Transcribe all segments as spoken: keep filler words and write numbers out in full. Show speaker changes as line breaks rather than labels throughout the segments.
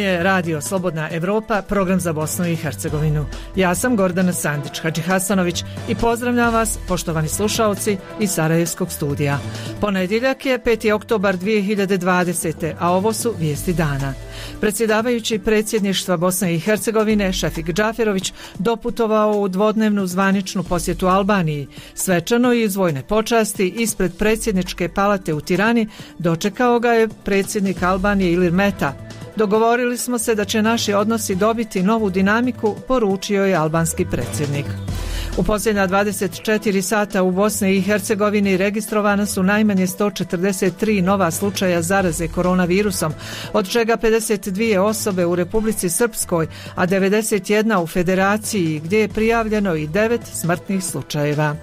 je Radio Slobodna Evropa, program za Bosnu i Hercegovinu. Ja sam Gordana Sandić Hadžihasanović i pozdravljam vas, poštovani slušaoci iz Sarajevskog studija. Ponedjeljak je peti oktobar dvije hiljade dvadesete. a ovo su vijesti dana. Predsjedavajući predsjedništva Bosne i Hercegovine Šefik Džaferović doputovao u dvodnevnu zvaničnu posjetu Albaniji. Svečano i iz vojne počasti ispred predsjedničke palate u Tirani dočekao ga je predsjednik Albanije Ilir Meta. Dogovorili smo se da će naši odnosi dobiti novu dinamiku, poručio je albanski predsjednik. U posljednja dvadeset četiri sata u Bosni i Hercegovini registrovana su najmanje sto četrdeset tri nova slučaja zaraze koronavirusom, od čega pedeset dvije osobe u Republici Srpskoj, a devedeset jedna u Federaciji, gdje je prijavljeno i devet smrtnih slučajeva.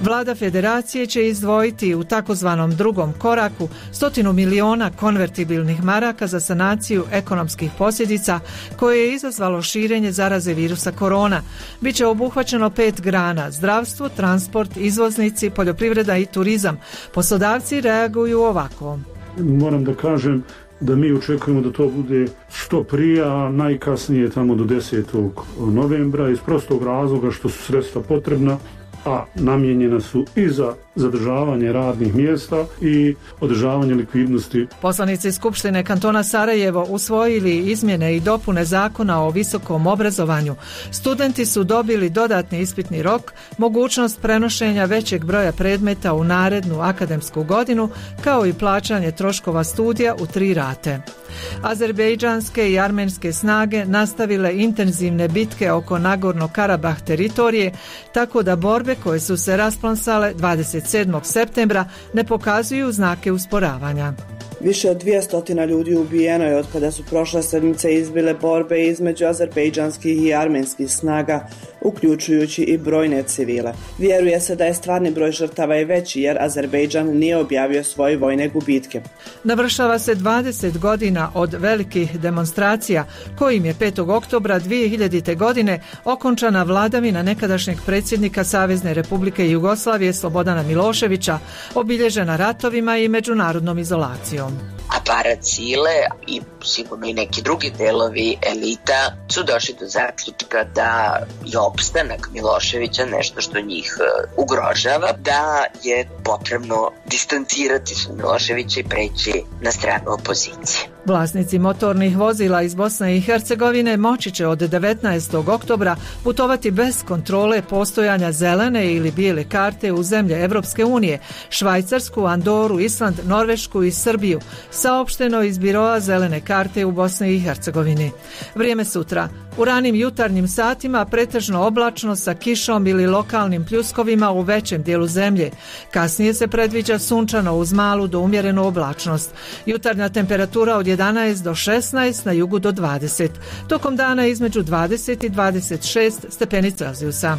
Vlada Federacije će izdvojiti u takozvanom drugom koraku stotinu miliona konvertibilnih maraka za sanaciju ekonomskih posljedica koje je izazvalo širenje zaraze virusa korona. Biće obuhvaćeno pet grana: zdravstvo, transport, izvoznici, poljoprivreda i turizam. Poslodavci reaguju ovako.
Moram da kažem da mi očekujemo da to bude što prije, a najkasnije tamo do desetog novembra, iz prostog razloga što su sredstva potrebna, a namijenjena su i za zadržavanje radnih mjesta i održavanje likvidnosti.
Poslanici Skupštine kantona Sarajevo usvojili izmjene i dopune zakona o visokom obrazovanju. Studenti su dobili dodatni ispitni rok, mogućnost prenošenja većeg broja predmeta u narednu akademsku godinu, kao i plaćanje troškova studija u tri rate. Azerbejdžanske i armenske snage nastavile intenzivne bitke oko Nagorno-Karabah teritorije, tako da borbe koje su se rasplansale dvadeset sedmog septembra ne pokazuju znake usporavanja.
Više od dvjesto ljudi ubijeno je od kada su prošle sedmice izbile borbe između azerbejdžanskih i armenskih snaga, uključujući i brojne civile. Vjeruje se da je stvarni broj žrtava i veći jer Azerbejdžan nije objavio svoje vojne gubitke.
Navršava se dvadeset godina od velikih demonstracija kojim je petog oktobra dvije hiljadite. godine okončana vladavina nekadašnjeg predsjednika Savezne Republike Jugoslavije Slobodana Miloševića, obilježena ratovima i međunarodnom izolacijom.
Aparat sile i sigurno i neki drugi delovi elita su došli do zaključka da je opstanak Miloševića nešto što njih ugrožava, da je potrebno distancirati se od Miloševića i preći na stranu opozicije.
Vlasnici motornih vozila iz Bosne i Hercegovine moći će od devetnaestog oktobra putovati bez kontrole postojanja zelene ili bijele karte u zemlje Evropske unije, Švajcarsku, Andoru, Island, Norvešku i Srbiju, saopšteno iz biroa zelene karte u Bosni i Hercegovini. Vrijeme sutra. U ranim jutarnjim satima pretežno oblačno sa kišom ili lokalnim pljuskovima u većem dijelu zemlje. Kasnije se predviđa sunčano uz malu do umjerenu oblačnost. Jutarnja temperatura od jedanaest do šesnaest, na jugu do dvadeset. Tokom dana između dvadeset i dvadeset šest stepeni Celzijusa.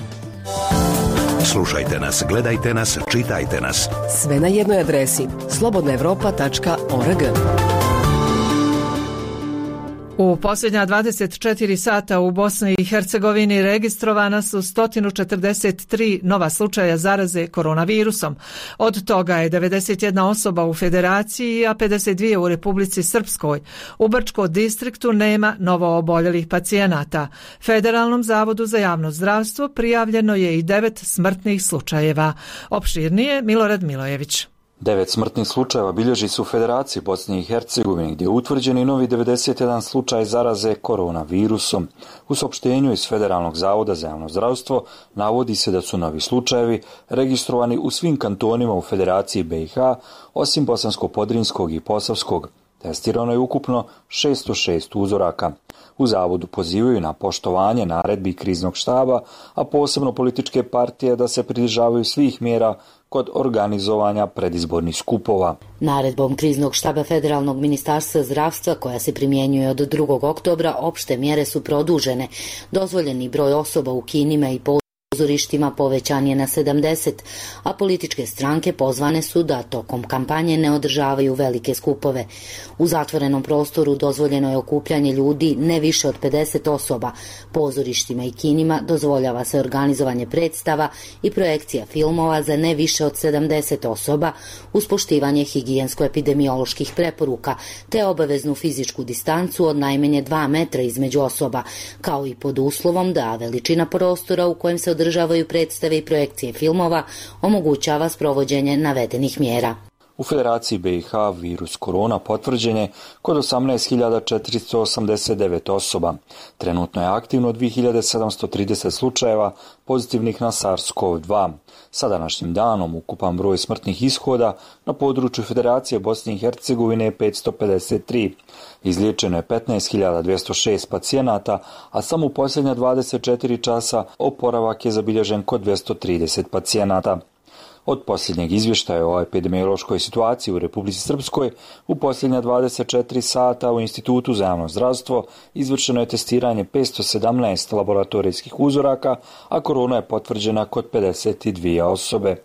Slušajte nas, gledajte nas, čitajte nas.
Sve na jednoj adresi: slobodna evropa tačka org.
U posljednja dvadeset četiri sata u Bosni i Hercegovini registrovana su sto četrdeset tri nova slučaja zaraze koronavirusom. Od toga je devedeset jedna osoba u Federaciji, a pedeset dvije u Republici Srpskoj. U Brčko distriktu nema novo oboljelih pacijenata. Federalnom zavodu za javno zdravstvo prijavljeno je i devet smrtnih slučajeva. Opširnije Milorad Milojević.
Devet smrtnih slučajeva bilježi se u Federaciji Bosne i Hercegovine, gdje je utvrđen i novi devedeset jedan slučaj zaraze koronavirusom. U saopštenju iz Federalnog zavoda za javno zdravstvo navodi se da su novi slučajevi registrovani u svim kantonima u Federaciji B i H, osim Bosansko-Podrinjskog i Posavskog. Testirano je ukupno šesto šest uzoraka. U zavodu pozivaju na poštovanje naredbi kriznog štaba, a posebno političke partije da se pridržavaju svih mjera kod organizovanja predizbornih skupova.
Naredbom kriznog štaba Federalnog ministarstva zdravstva, koja se primjenjuje od drugog oktobra, opšte mjere su produžene. Dozvoljeni broj osoba u kinima i pozorištima povećan je na sedamdeset, a političke stranke pozvane su da tokom kampanje ne održavaju velike skupove. U zatvorenom prostoru dozvoljeno je okupljanje ljudi ne više od pedeset osoba. Pozorištima i kinima dozvoljava se organizovanje predstava i projekcija filmova za ne više od sedamdeset osoba uz poštivanje higijensko-epidemioloških preporuka te obaveznu fizičku distancu od najmanje dva metra između osoba, kao i pod uslovom da veličina prostora u kojem se održavaju predstave i projekcije filmova omogućava sprovođenje navedenih mjera.
U Federaciji B i H virus korona potvrđen je kod osamnaest hiljada četiristo osamdeset devet osoba. Trenutno je aktivno dvije hiljade sedamsto trideset slučajeva pozitivnih na SARS-CoV dva. Sa današnjim danom ukupan broj smrtnih ishoda na području Federacije Bosne i Hercegovine je petsto pedeset tri. Izliječeno je petnaest hiljada dvjesto šest pacijenata, a samo u posljednja dvadeset četiri časa oporavak je zabilježen kod dvjesto trideset pacijenata. Od posljednjeg izvještaja o epidemiološkoj situaciji u Republici Srpskoj u posljednja dvadeset četiri sata u Institutu za javno zdravstvo izvršeno je testiranje petsto sedamnaest laboratorijskih uzoraka, a korona je potvrđena kod pedeset dvije osobe.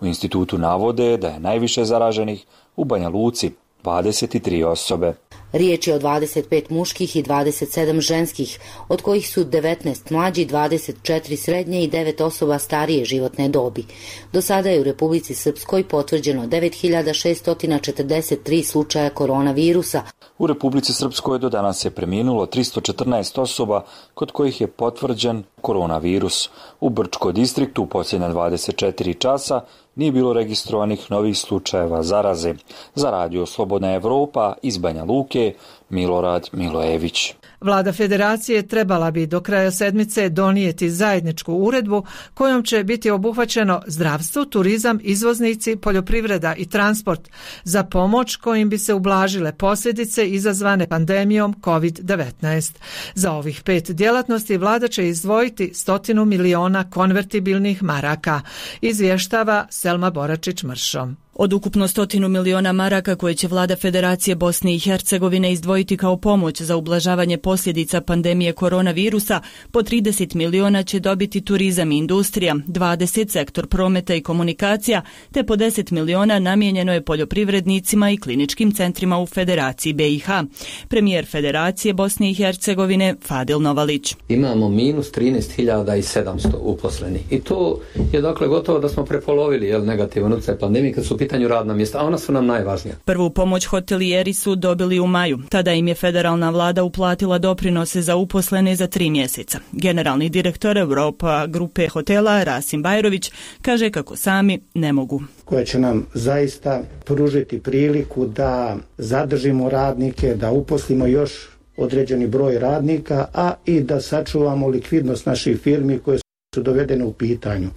U institutu navode da je najviše zaraženih u Banja Luci, dvadeset tri osobe.
Riječ je o dvadeset pet muških i dvadeset sedam ženskih, od kojih su devetnaest mlađi, dvadeset četiri srednje i devet osoba starije životne dobi. Do sada je u Republici Srpskoj potvrđeno devet hiljada šesto četrdeset tri slučaja koronavirusa.
U Republici Srpskoj do danas je preminulo tristo četrnaest osoba kod kojih je potvrđen koronavirus. U Brčko distriktu u posljednja dvadeset četiri časa nije bilo registrovanih novih slučajeva zaraze. Za radio Slobodna Evropa iz Banja Luke, Milorad Milojević.
Vlada Federacije trebala bi do kraja sedmice donijeti zajedničku uredbu kojom će biti obuhvaćeno zdravstvo, turizam, izvoznici, poljoprivreda i transport za pomoć kojim bi se ublažile posljedice izazvane pandemijom kovid devetnaest. Za ovih pet djelatnosti vlada će izdvojiti stotinu miliona konvertibilnih maraka, izvještava Selma Boračić-Mršo.
Od ukupno stotinu miliona maraka koje će vlada Federacije Bosne i Hercegovine izdvojiti kao pomoć za ublažavanje posljedica pandemije koronavirusa, po trideset miliona će dobiti turizam i industrija, dvadeset sektor prometa i komunikacija, te po deset miliona namijenjeno je poljoprivrednicima i kliničkim centrima u Federaciji B i H. Premijer Federacije Bosne i Hercegovine Fadil Novalić.
Imamo minus trinaest hiljada sedamsto uposlenih i to je dakle gotovo da smo prepolovili jel, negativan utjecaj pandemije kad su pitanju radna mjesta, a ona su nam najvažnija.
Prvu pomoć hotelijeri su dobili u maju. Tada im je federalna vlada uplatila doprinose za uposlene za tri mjeseca. Generalni direktor Europa grupe hotela Rasim Bajrović kaže kako sami ne mogu.
Koja će nam zaista pružiti priliku da zadržimo radnike, da uposlimo još određeni broj radnika, a i da sačuvamo likvidnost naših firmi koje su dovedene u pitanju.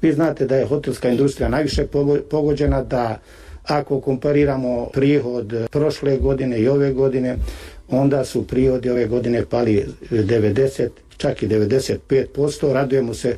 Vi znate da je hotelska industrija najviše pogođena, da ako kompariramo prihod prošle godine i ove godine, onda su prihodi ove godine pali devedeset, čak i devedeset pet posto. Radujemo se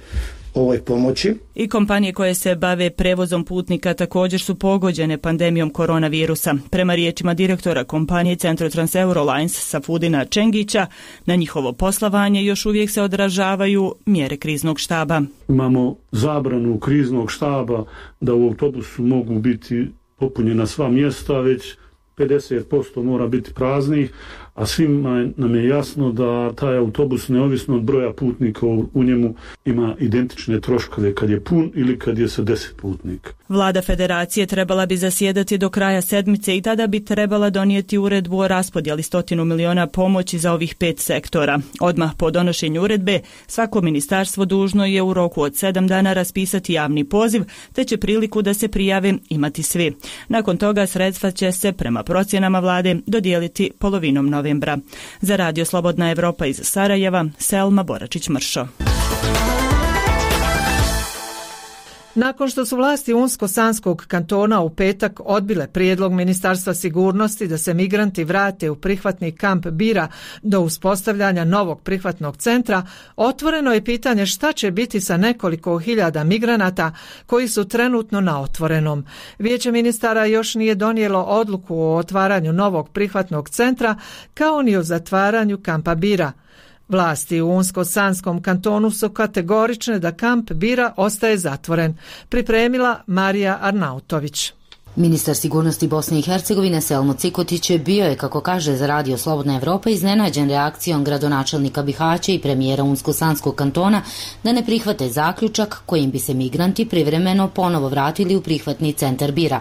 ovoj pomoći.
I kompanije koje se bave prevozom putnika također su pogođene pandemijom koronavirusa. Prema riječima direktora kompanije Centrotrans Eurolines Safudina Čengića, na njihovo poslovanje još uvijek se odražavaju mjere kriznog štaba.
Imamo zabranu kriznog štaba da u autobusu mogu biti popunjena sva mjesta, već pedeset posto mora biti praznih, a svima nam je jasno da taj autobus, neovisno od broja putnika u njemu, ima identične troškove kad je pun ili kad je sa deset putnika.
Vlada Federacije trebala bi zasjedati do kraja sedmice i tada bi trebala donijeti uredbu o raspodjeli stotinu miliona pomoći za ovih pet sektora. Odmah po donošenju uredbe, svako ministarstvo dužno je u roku od sedam dana raspisati javni poziv, te će priliku da se prijave imati svi. Nakon toga sredstva će se, prema procjenama vlade, dodijeliti polovinom novembra. Za radio Slobodna Evropa iz Sarajeva, Selma Boračić-Mršo.
Nakon što su vlasti Unsko-Sanskog kantona u petak odbile prijedlog Ministarstva sigurnosti da se migranti vrate u prihvatni kamp Bira do uspostavljanja novog prihvatnog centra, otvoreno je pitanje šta će biti sa nekoliko hiljada migranata koji su trenutno na otvorenom. Vijeće ministara još nije donijelo odluku o otvaranju novog prihvatnog centra kao ni o zatvaranju kampa Bira. Vlasti u Unsko-Sanskom kantonu su kategorične da kamp Bira ostaje zatvoren, pripremila Marija Arnautović.
Ministar sigurnosti Bosne i Hercegovine Selmo Cikotić bio je, kako kaže za radio Slobodna Evropa, iznenađen reakcijom gradonačelnika Bihaća i premijera Unsko-Sanskog kantona da ne prihvate zaključak kojim bi se migranti privremeno ponovo vratili u prihvatni centar Bira.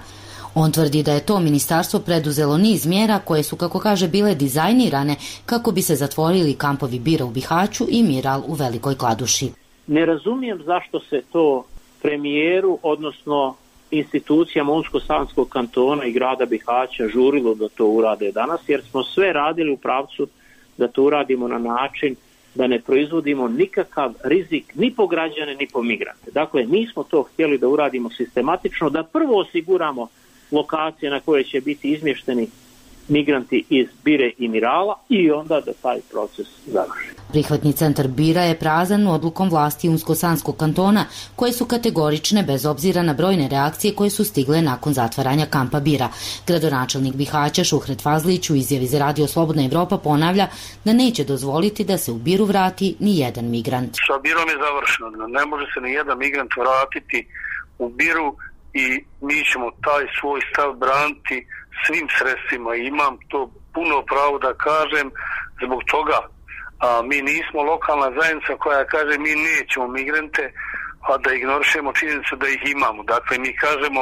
On tvrdi da je to ministarstvo preduzelo niz mjera koje su, kako kaže, bile dizajnirane kako bi se zatvorili kampovi Bira u Bihaću i Miral u Velikoj Kladuši.
Ne razumijem zašto se to premijeru, odnosno institucijama Unsko-Sanskog kantona i grada Bihaća žurilo da to urade danas, jer smo sve radili u pravcu da to uradimo na način da ne proizvodimo nikakav rizik ni po građane ni po migrante. Dakle, mi smo to htjeli da uradimo sistematično, da prvo osiguramo lokacije na koje će biti izmješteni migranti iz Bire i Mirala i onda da taj proces završi.
Prihvatni centar Bira je prazan odlukom vlasti Unsko-Sanskog kantona, koje su kategorične bez obzira na brojne reakcije koje su stigle nakon zatvaranja kampa Bira. Gradonačelnik Bihaća Šuhret Fazlić u izjavi za radio Slobodna Evropa ponavlja da neće dozvoliti da se u Biru vrati ni jedan migrant.
Sa Birom je završeno. Ne može se ni jedan migrant vratiti u Biru i mi ćemo taj svoj stav braniti svim sredstvima. Imam to puno pravo da kažem zbog toga. A mi nismo lokalna zajednica koja kaže mi nećemo migrante, a da ignorišemo činjenicu da ih imamo. Dakle, mi kažemo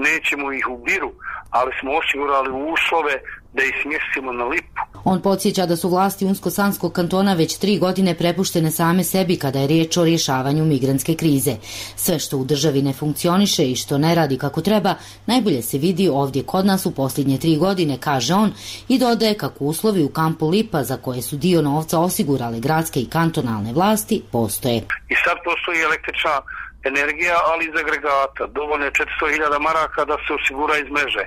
nećemo ih u Biru, ali smo osigurali uslove da ih smjestimo na Lipu.
On podsjeća da su vlasti Unsko-Sanskog kantona već tri godine prepuštene same sebi kada je riječ o rješavanju migrantske krize. Sve što u državi ne funkcioniše i što ne radi kako treba, najbolje se vidi ovdje kod nas u posljednje tri godine, kaže on, i dodaje kako uslovi u kampu Lipa, za koje su dio novca osigurale gradske i kantonalne vlasti, postoje.
I sad postoji električna energija, ali iz agregata. Dovoljno je četiristo hiljada maraka da se osigura iz mreže.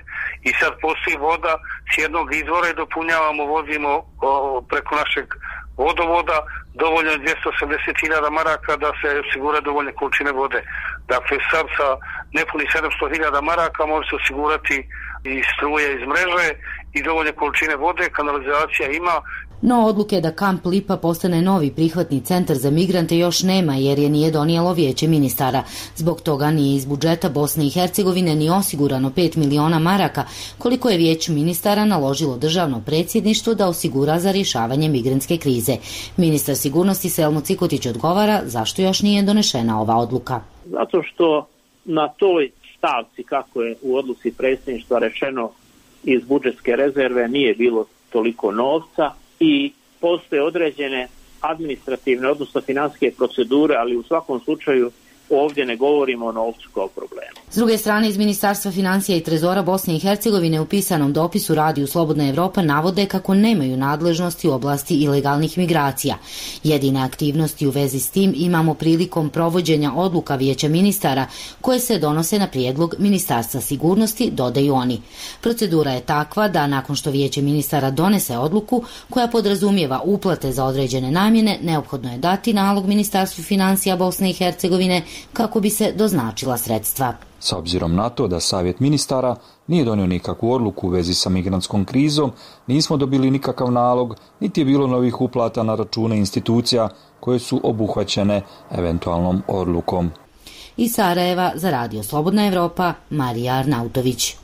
I sad postoji voda s jednog izvora i dopunjavamo, vozimo o, preko našeg vodovoda, dovoljno je dvjesto osamdeset hiljada maraka da se osigura dovoljne količine vode. Dakle, sad sa nepunih sedamsto hiljada maraka može se osigurati i struje iz mreže i dovoljne količine vode, kanalizacija ima.
No odluke da kamp Lipa postane novi prihvatni centar za migrante još nema, jer je nije donijelo vijeće ministara. Zbog toga nije iz budžeta Bosne i Hercegovine ni osigurano pet miliona maraka, koliko je vijeće ministara naložilo državno predsjedništvo da osigura za rješavanje migrantske krize. Ministar sigurnosti Selmo Cikotić odgovara zašto još nije donešena ova odluka.
Zato što na toj stavci, kako je u odluci predsjedništva rečeno, iz budžetske rezerve nije bilo toliko novca, i postoje određene administrativne, odnosno financijske procedure, ali u svakom slučaju ovdje ne govorimo o novcu kao problemu.
S druge strane, iz Ministarstva financija i Trezora Bosne i Hercegovine u pisanom dopisu Radiju Slobodna Evropa navode kako nemaju nadležnosti u oblasti ilegalnih migracija. Jedine aktivnosti u vezi s tim imamo prilikom provođenja odluka vijeća ministara koje se donose na prijedlog Ministarstva sigurnosti, dodaju oni. Procedura je takva da nakon što vijeće ministara donese odluku koja podrazumijeva uplate za određene namjene, neophodno je dati nalog Ministarstvu financija Bosne i Hercegovine kako bi se doznačila sredstva.
S obzirom na to da Savjet ministara nije donio nikakvu odluku u vezi sa migrantskom krizom, nismo dobili nikakav nalog, niti je bilo novih uplata na račune institucija koje su obuhvaćene eventualnom odlukom.
Iz Sarajeva za Radio Slobodna Evropa, Marija Arnautović.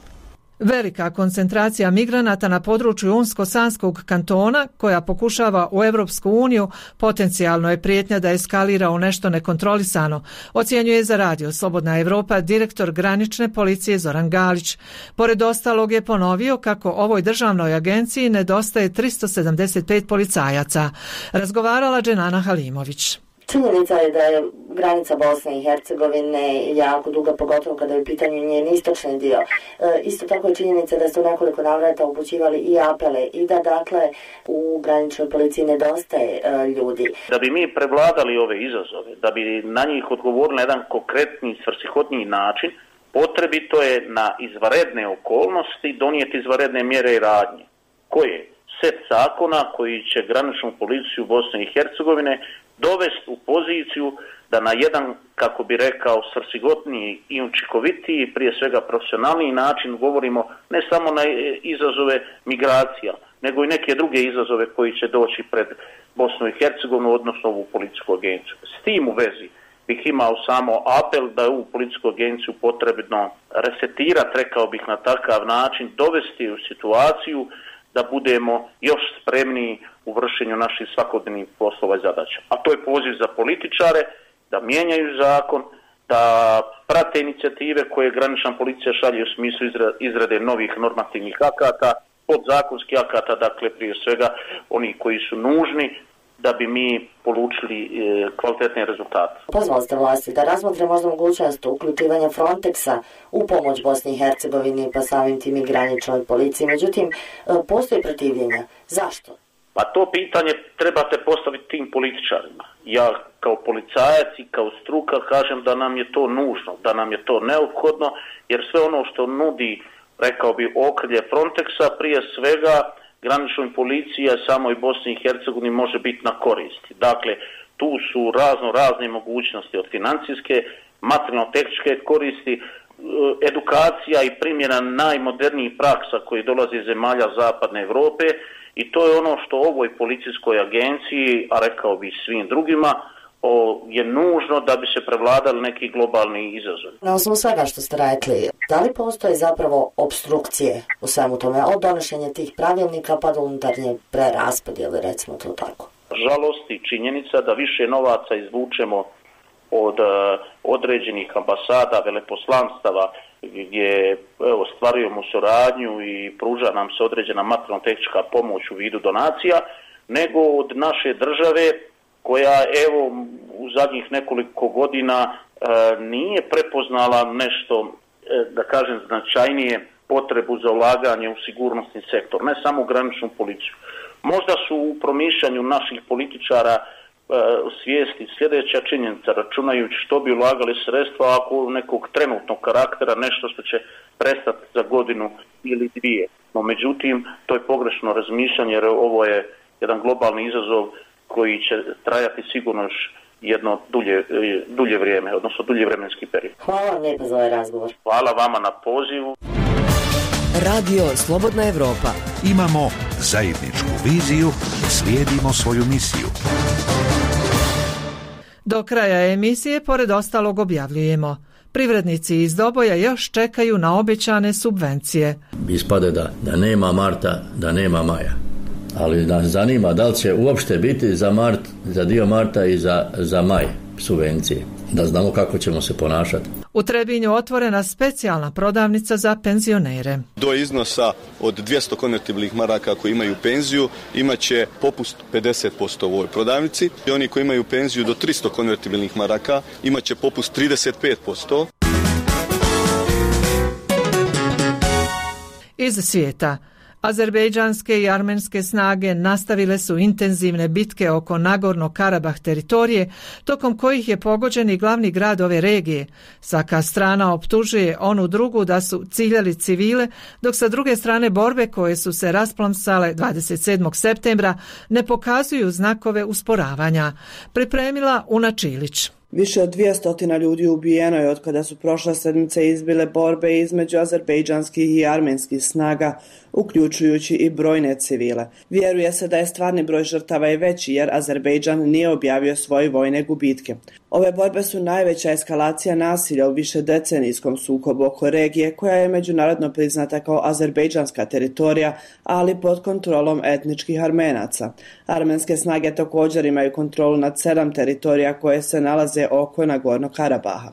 Velika koncentracija migranata na području Unsko-Sanskog kantona, koja pokušava u Europsku uniju, potencijalno je prijetnja da eskalira u nešto nekontrolisano, ocjenjuje za Radio Slobodna Evropa direktor granične policije Zoran Galić. Pored ostalog je ponovio kako ovoj državnoj agenciji nedostaje tristo sedamdeset pet policajaca. Razgovarala Dženana Halimović.
Činjenica je da je granica Bosne i Hercegovine jako duga, pogotovo kada je u pitanju njen istočni dio. E, isto tako je činjenica da su nekoliko navrata upućivali i apele i da dakle u graničnoj policiji nedostaje e, ljudi.
Da bi mi prevladali ove izazove, da bi na njih odgovorili na jedan konkretni, svrsishodniji način, potrebito je na izvanredne okolnosti donijeti izvanredne mjere i radnje. Koje? Set zakona koji će graničnu policiju Bosne i Hercegovine dovesti u poziciju da na jedan, kako bi rekao, svrsigotniji i učinkovitiji, prije svega profesionalniji način govorimo ne samo na izazove migracija, nego i neke druge izazove koji će doći pred Bosnu i Hercegovinu, odnosno ovu policijsku agenciju. S tim u vezi bih imao samo apel da je ovu policijsku agenciju potrebno resetirati, rekao bih na takav način, dovesti u situaciju da budemo još spremniji u vršenju naših svakodnevnih poslova i zadaća. A to je poziv za političare da mijenjaju zakon, da prate inicijative koje granična policija šalje u smislu izrade novih normativnih akata, podzakonskih akata, dakle prije svega oni koji su nužni da bi mi polučili e, kvalitetne rezultate.
Pozvali ste vlasti da razmotre možda mogućnost uključivanja Frontexa u pomoć Bosni i Hercegovini, pa samim tim i graničnoj policiji. Međutim, postoji protivljenja. Zašto?
Pa to pitanje trebate postaviti tim političarima. Ja kao policajac i kao struka kažem da nam je to nužno, da nam je to neophodno, jer sve ono što nudi, rekao bi, okrilje Frontexa, prije svega graničnoj policiji, a samoj Bosni i Hercegovini može biti na koristi. Dakle, tu su razno razne mogućnosti od financijske, materijalno-tehničke koristi, edukacija i primjena najmodernijih praksa koji dolaze iz zemalja Zapadne Europe, i to je ono što ovoj policijskoj agenciji, a rekao bi svim drugima, o, je nužno da bi se prevladali neki globalni izazovi.
Na osnovu svega što ste rekli, da li postoje zapravo obstrukcije u svemu tome, od donošenja tih pravilnika pa do unutarnje preraspodjele, recimo to tako?
Žalosti činjenica da više novaca izvučemo od uh, određenih ambasada, veleposlanstava, gdje evo, stvarujemo suradnju i pruža nam se određena materijalno-tehnička pomoć u vidu donacija, nego od naše države koja evo u zadnjih nekoliko godina e, nije prepoznala nešto, e, da kažem, značajnije potrebu za ulaganje u sigurnosni sektor, ne samo u graničnu policiju. Možda su u promišljanju naših političara e, svijesti sljedeća činjenica, računajući što bi ulagali sredstva ako nekog trenutnog karaktera, nešto što će prestati za godinu ili dvije. No međutim, to je pogrešno razmišljanje, jer ovo je jedan globalni izazov koji će trajati sigurno još jedno dulje, dulje vrijeme, odnosno dulje vremenski period.
Hvala vam lijepo za ovaj razgovor.
Hvala vama na pozivu.
Radio Slobodna Evropa.
Imamo zajedničku viziju, slijedimo svoju misiju.
Do kraja emisije, pored ostalog, objavljujemo: privrednici iz Doboja još čekaju na obećane subvencije.
Ispade da, da nema marta, da nema maja. Ali nas zanima da li će uopšte biti za mart, za dio marta i za, za maj subvencije. Da znamo kako ćemo se ponašati.
U Trebinju otvorena specijalna prodavnica za penzionere.
Do iznosa od dvjesto konvertibilnih maraka koji imaju penziju imat će popust pedeset posto u ovoj prodavnici. I oni koji imaju penziju do tristo konvertibilnih maraka imat će popust trideset pet posto.
Iz svijeta. Azerbejdžanske i armenske snage nastavile su intenzivne bitke oko Nagorno-Karabah teritorije, tokom kojih je pogođen i glavni grad ove regije. Svaka strana optužuje onu drugu da su ciljali civile, dok sa druge strane borbe koje su se rasplamsale dvadeset sedmog septembra ne pokazuju znakove usporavanja. Pripremila Una Čilić.
Više od dvjesto ljudi ubijeno je od kada su prošle sedmice izbile borbe između azerbejdžanskih i armenskih snaga, uključujući i brojne civile. Vjeruje se da je stvarni broj žrtava i veći, jer Azerbejdžan nije objavio svoje vojne gubitke. Ove borbe su najveća eskalacija nasilja u višedecenijskom sukobu oko regije, koja je međunarodno priznata kao azerbejdžanska teritorija, ali pod kontrolom etničkih Armenaca. Armenske snage također imaju kontrolu nad sedam teritorija koje se nalaze oko Nagorno-Karabaha.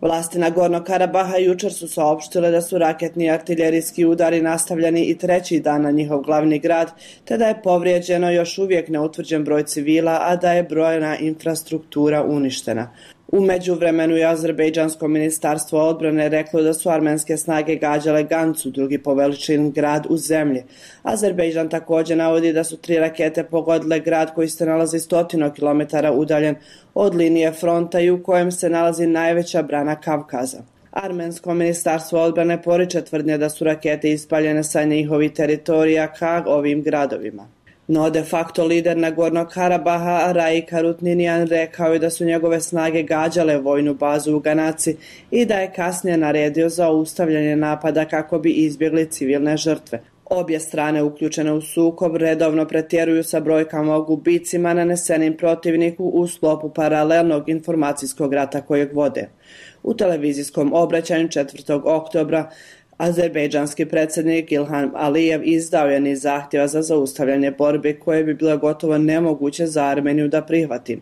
Vlasti Nagorno-Karabaha jučer su saopštile da su raketni i artiljerijski udari nastavljeni i treći dan na njihov glavni grad, te da je povrijeđeno još uvijek neutvrđen broj civila, a da je brojna infrastruktura uništena. U međuvremenu je Azerbejdžansko ministarstvo odbrane reklo da su armenske snage gađale Gancu, drugi po veličini grad u zemlji. Azerbejdžan također navodi da su tri rakete pogodile grad koji se nalazi stotinu kilometara udaljen od linije fronta i u kojem se nalazi najveća brana Kavkaza. Armensko ministarstvo odbrane poriče tvrdnje da su rakete ispaljene sa njihovih teritorija ka ovim gradovima. No de facto lider Nagornog Karabaha Raik Harutninian rekao je da su njegove snage gađale vojnu bazu u Ganaci i da je kasnije naredio zaustavljanje napada kako bi izbjegli civilne žrtve. Obje strane uključene u sukob redovno pretjeruju sa brojkama o gubicima nanesenim protivniku u sklopu paralelnog informacijskog rata kojeg vode. U televizijskom obraćanju četvrtog oktobra azerbejdžanski predsjednik Ilham Alijev izdao je niz zahtjeva za zaustavljanje borbe koje bi bilo gotovo nemoguće za Armeniju da prihvati.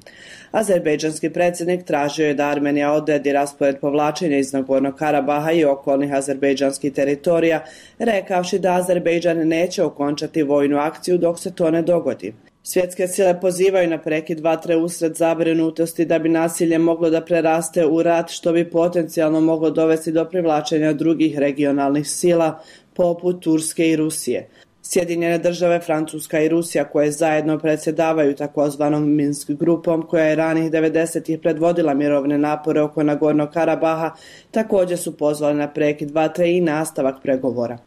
Azerbejdžanski predsjednik tražio je da Armenija odredi raspored povlačenja iz Nagornog Karabaha i okolnih azerbejdžanskih teritorija, rekavši da Azerbejdžan neće okončati vojnu akciju dok se to ne dogodi. Svjetske sile pozivaju na prekid vatre usred zabrinutosti da bi nasilje moglo da preraste u rat, što bi potencijalno moglo dovesti do privlačenja drugih regionalnih sila poput Turske i Rusije. Sjedinjene države, Francuska i Rusija, koje zajedno predsjedavaju takozvanom Minsk grupom, koja je ranih devedesetih predvodila mirovne napore oko Nagornog Karabaha, također su pozvali na prekid vatre i nastavak pregovora.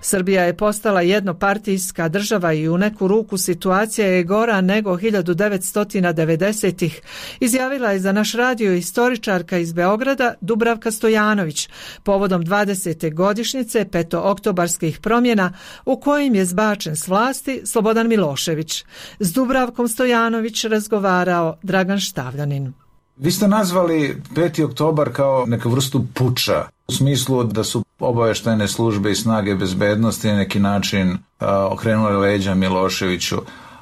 Srbija je postala jednopartijska država i u neku ruku situacija je gora nego hiljadu devetsto devedesetih, izjavila je za naš radio istoričarka iz Beograda Dubravka Stojanović povodom dvadesete godišnjice petooktobarskih promjena u kojim je zbačen s vlasti Slobodan Milošević. S Dubravkom Stojanović razgovarao Dragan Štavljanin.
Vi ste nazvali peti oktobar kao neku vrstu puča, u smislu da su obavještajne službe i snage bezbednosti na neki način a, okrenule leđa Miloševiću,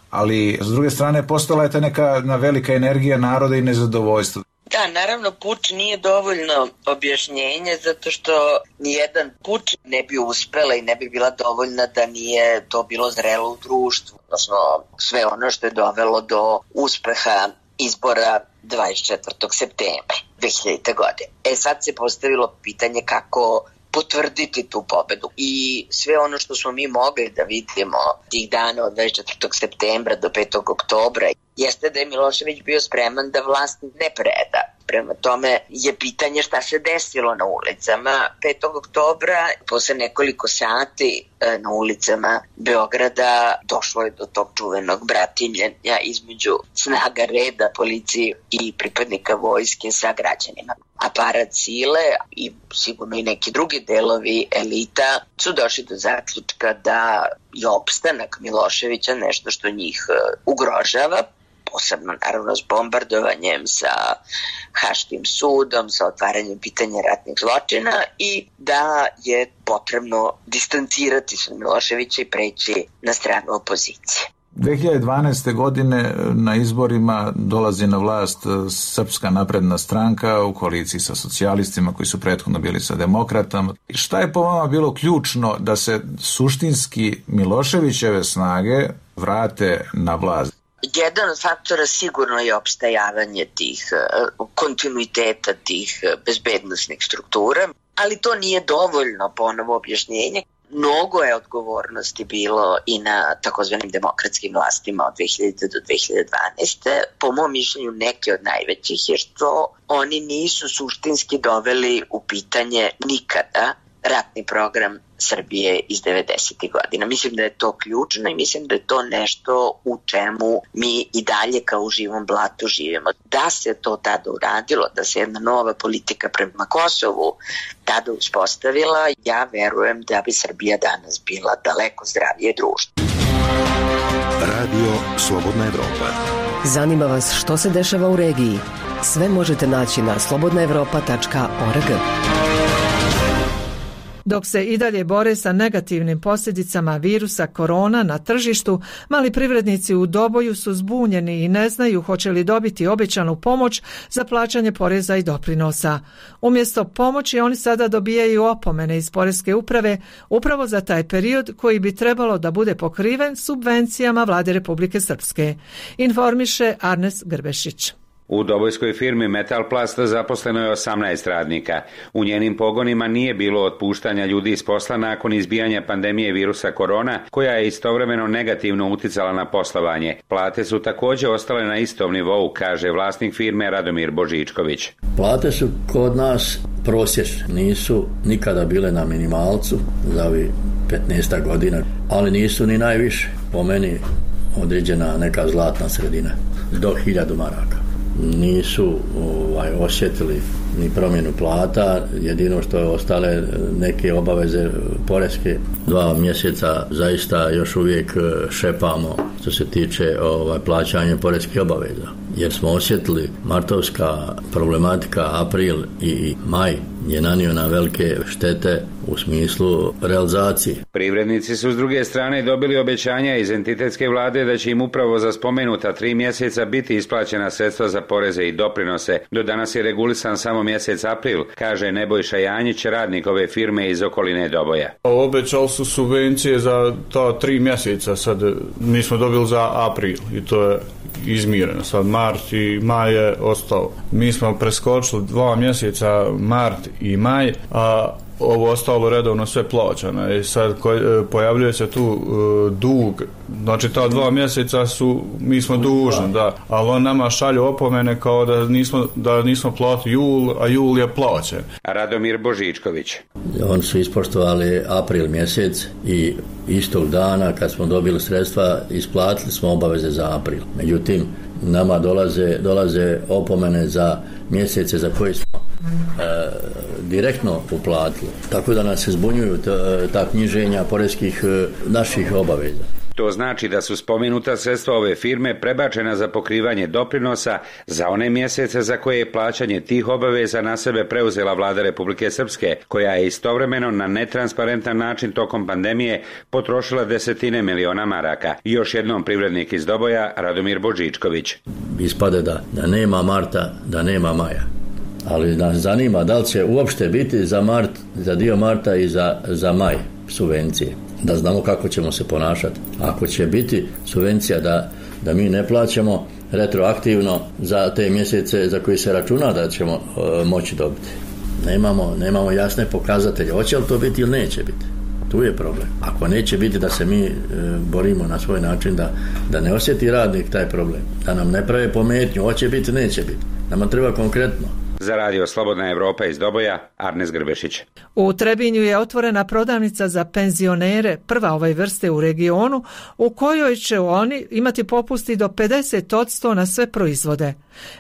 ali s druge strane postala je ta neka velika energija naroda i nezadovoljstvo.
Da, naravno puč nije dovoljno objašnjenje zato što nijedan puč ne bi uspela i ne bi bila dovoljna da nije to bilo zrelo u društvu, odnosno sve ono što je dovelo do uspeha izbora dvadeset četvrtog septembra dve hiljadite. godine. E sad se postavilo pitanje kako potvrditi tu pobedu i sve ono što smo mi mogli da vidimo tih dana od dvadeset četvrtog septembra do petog oktobra jeste da je Milošević bio spreman da vlast ne preda. Prema tome je pitanje šta se desilo na ulicama petog oktobra. Posle nekoliko sati na ulicama Beograda došlo je do tog čuvenog bratimljenja između snaga reda, policije i pripadnika vojske sa građanima. Aparat sile i sigurno i neki drugi delovi elita su došli do zaključka da je opstanak Miloševića nešto što njih ugrožava, posebno naravno s bombardovanjem, sa Haškim sudom, sa otvaranjem pitanja ratnih zločina i da je potrebno distancirati se od Miloševića i preći na stranu opozicije.
dve hiljade dvanaeste. godine na izborima dolazi na vlast Srpska napredna stranka u koaliciji sa socijalistima koji su prethodno bili sa demokratama. Šta je po vama bilo ključno da se suštinski Miloševićeve snage vrate na vlast?
Jedan od faktora sigurno je opstajavanje tih kontinuiteta, tih bezbednosnih struktura, ali to nije dovoljno ponovo objašnjenje. Mnogo je odgovornosti bilo i na takozvanim demokratskim vlastima od dve hiljadite. do dve hiljade dvanaeste. Po mom mišljenju neke od najvećih je što oni nisu suštinski doveli u pitanje nikada ratni program Srbije iz devedesetih. godina. Mislim da je to ključno i mislim da je to nešto u čemu mi i dalje kao u živom blatu živimo. Da se to tada uradilo, da se jedna nova politika prema Kosovu tada uspostavila, ja verujem da bi Srbija danas bila daleko zdravije društvo.
Radio Slobodna Evropa.
Zanima vas što se dešava u regiji? Sve možete naći na slobodna evropa tačka org.
Dok se i dalje bore sa negativnim posljedicama virusa korona na tržištu, mali privrednici u Doboju su zbunjeni i ne znaju hoće li dobiti obećanu pomoć za plaćanje poreza i doprinosa. Umjesto pomoći oni sada dobijaju opomene iz Poreske uprave upravo za taj period koji bi trebalo da bude pokriven subvencijama Vlade Republike Srpske. Informiše Arnes Grbešić.
U dobojskoj firmi Metalplast zaposleno je osamnaest radnika. U njenim pogonima nije bilo otpuštanja ljudi iz posla nakon izbijanja pandemije virusa korona, koja je istovremeno negativno uticala na poslovanje. Plate su također ostale na istom nivou, kaže vlasnik firme Radomir Božičković.
Plate su kod nas prosječne, nisu nikada bile na minimalcu za ovi petnaest godina, ali nisu ni najviše. Po meni određena neka zlatna sredina, do hiljadu maraka. Nisu ovaj, osjetili ni promjenu plata, jedino što je ostale neke obaveze poreske. Dva mjeseca zaista još uvijek šepamo što se tiče ovaj, plaćanja poreskih obaveza, jer smo osjetili martovska problematika, april i maj je nanio na velike štete u smislu realizacije.
Privrednici su s druge strane dobili obećanja iz entitetske vlade da će im upravo za spomenuta tri mjeseca biti isplaćena sredstva za poreze i doprinose. Do danas je regulisan samo mjesec april, kaže Nebojša Janjić, radnik ove firme iz okoline Doboja.
Obećali su subvencije za ta tri mjeseca, sad mi smo dobili za april i to je izmireno. Sad mart i maj je ostao. Mi smo preskočili dva mjeseca, mart i maj, a ovo ostalo redovno sve plaćano. I sad ko, pojavljuje se tu uh, dug, znači ta dva mjeseca su, mi smo dužni, da, ali on nama šalju opomene kao da nismo, da nismo platili jul, a jul je plaćen.
Radomir Božičković.
Oni su ispoštovali april mjesec i istog dana kad smo dobili sredstva isplatili smo obaveze za april. Međutim, nama dolaze, dolaze opomene za mjesece za koje smo e, direktno uplatili. Tako da nas se zbunjuju ta, ta knjiženja poreskih e, naših obaveza.
To znači da su spomenuta sredstva ove firme prebačena za pokrivanje doprinosa za one mjesece za koje je plaćanje tih obaveza na sebe preuzela vlada Republike Srpske, koja je istovremeno na netransparentan način tokom pandemije potrošila desetine miliona maraka. Još jednom privrednik iz Doboja, Radomir Božičković.
Ispade da, da nema marta, da nema maja. Ali nas zanima da li će uopšte biti za mart, za dio marta i za, za maj subvencije. Da znamo kako ćemo se ponašati. Ako će biti subvencija da, da mi ne plaćamo retroaktivno za te mjesece za koje se računa da ćemo e, moći dobiti. Nemamo, nemamo jasne pokazatelje. Hoće li to biti ili neće biti? Tu je problem. Ako neće biti, da se mi e, borimo na svoj način da, da ne osjeti radnik taj problem. Da nam ne prave pometnju. Hoće biti, neće biti. Nama treba konkretno.
Za radio Slobodna Evropa iz Doboja, Arnes Grbešić.
U Trebinju je otvorena prodavnica za penzionere, prva ove vrste u regionu, u kojoj će oni imati popusti do pedeset posto na sve proizvode.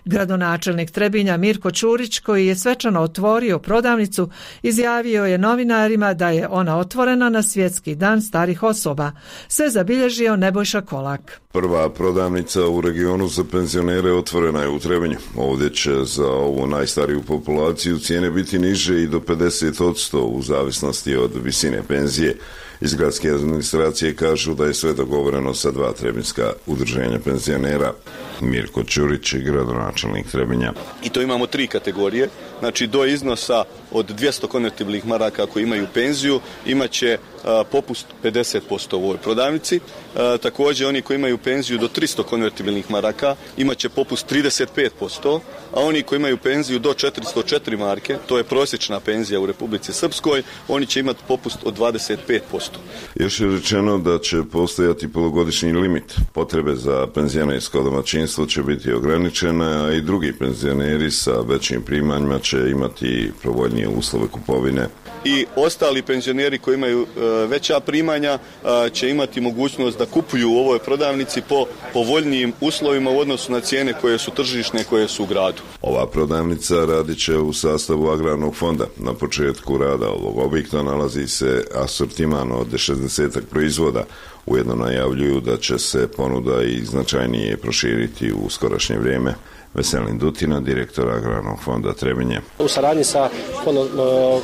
Gradonačelnik Trebinja Mirko Ćurić, koji je svečano otvorio prodavnicu, izjavio je novinarima da je ona otvorena na Svjetski dan starih osoba. Sve zabilježio Nebojša Kolak.
Prva prodavnica u regionu za penzionere otvorena je u Trebinju. Ovdje će za ovu najstariju populaciju cijene biti niže i do pedeset posto u zavisnosti od visine penzije. Iz gradske administracije kažu da je sve dogovoreno sa dva trebinska udruženja penzionera. Mirko Ćurić, gradonačelnik Trebinja.
I to imamo tri kategorije. Znači do iznosa od dvjesto konvertibilnih maraka koji imaju penziju imat će a, popust pedeset posto u ovoj prodavnici. A, također oni koji imaju penziju do tristo konvertibilnih maraka imat će popust trideset pet posto, a oni koji imaju penziju do četiristo četiri marke, to je prosječna penzija u Republici Srpskoj, oni će imati popust od dvadeset pet posto.
Još je rečeno da će postojati polugodišnji limit. Potrebe za penzionersko domaćinstvo će biti ograničene, a i drugi penzioneri sa većim primanjima će imati povoljnije uslove kupovine.
I ostali penzioneri koji imaju e, veća primanja e, će imati mogućnost da kupuju u ovoj prodavnici po povoljnijim uslovima u odnosu na cijene koje su tržišne, koje su u gradu.
Ova prodavnica radit će u sastavu agrarnog fonda. Na početku rada ovog objekta nalazi se asortiman od šezdeset proizvoda. Ujedno najavljuju da će se ponuda i značajnije proširiti u skorašnje vrijeme. Veselin Dutina, direktor Agrarnog fonda Trebinje.
U saradnji sa fondom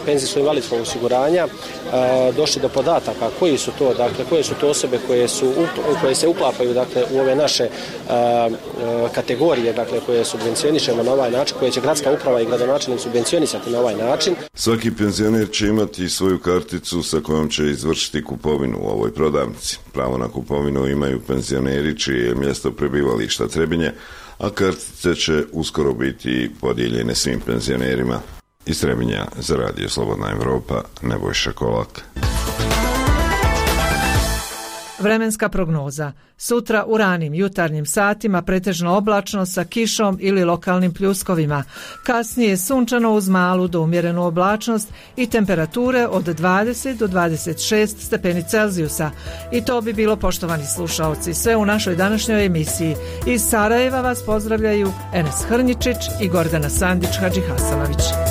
penzijsko-invalidskog osiguranja došli do podataka koji su to, dakle, koje su to osobe koje su koje se uklapaju, dakle, u ove naše kategorije, dakle, koje subvencionišemo na ovaj način, koje će gradska uprava i gradonačelnik subvencionisati na ovaj način.
Svaki penzioner će imati svoju karticu sa kojom će izvršiti kupovinu u ovoj prodavnici. Pravo na kupovinu imaju penzioneri čije je mjesto prebivališta Trebinje, a kartice će uskoro biti podijeljene svim penzionerima. Iz Trebinja za radio Slobodna Evropa, Nebojša Kolak.
Vremenska prognoza. Sutra u ranim jutarnjim satima pretežno oblačno sa kišom ili lokalnim pljuskovima. Kasnije sunčano uz malu do umjerenu oblačnost i temperature od dvadeset do dvadeset šest stepeni Celzijusa. I to bi bilo, poštovani slušaoci, sve u našoj današnjoj emisiji. Iz Sarajeva vas pozdravljaju Enes Hrnjičić i Gordana Sandić Hadžihasanović.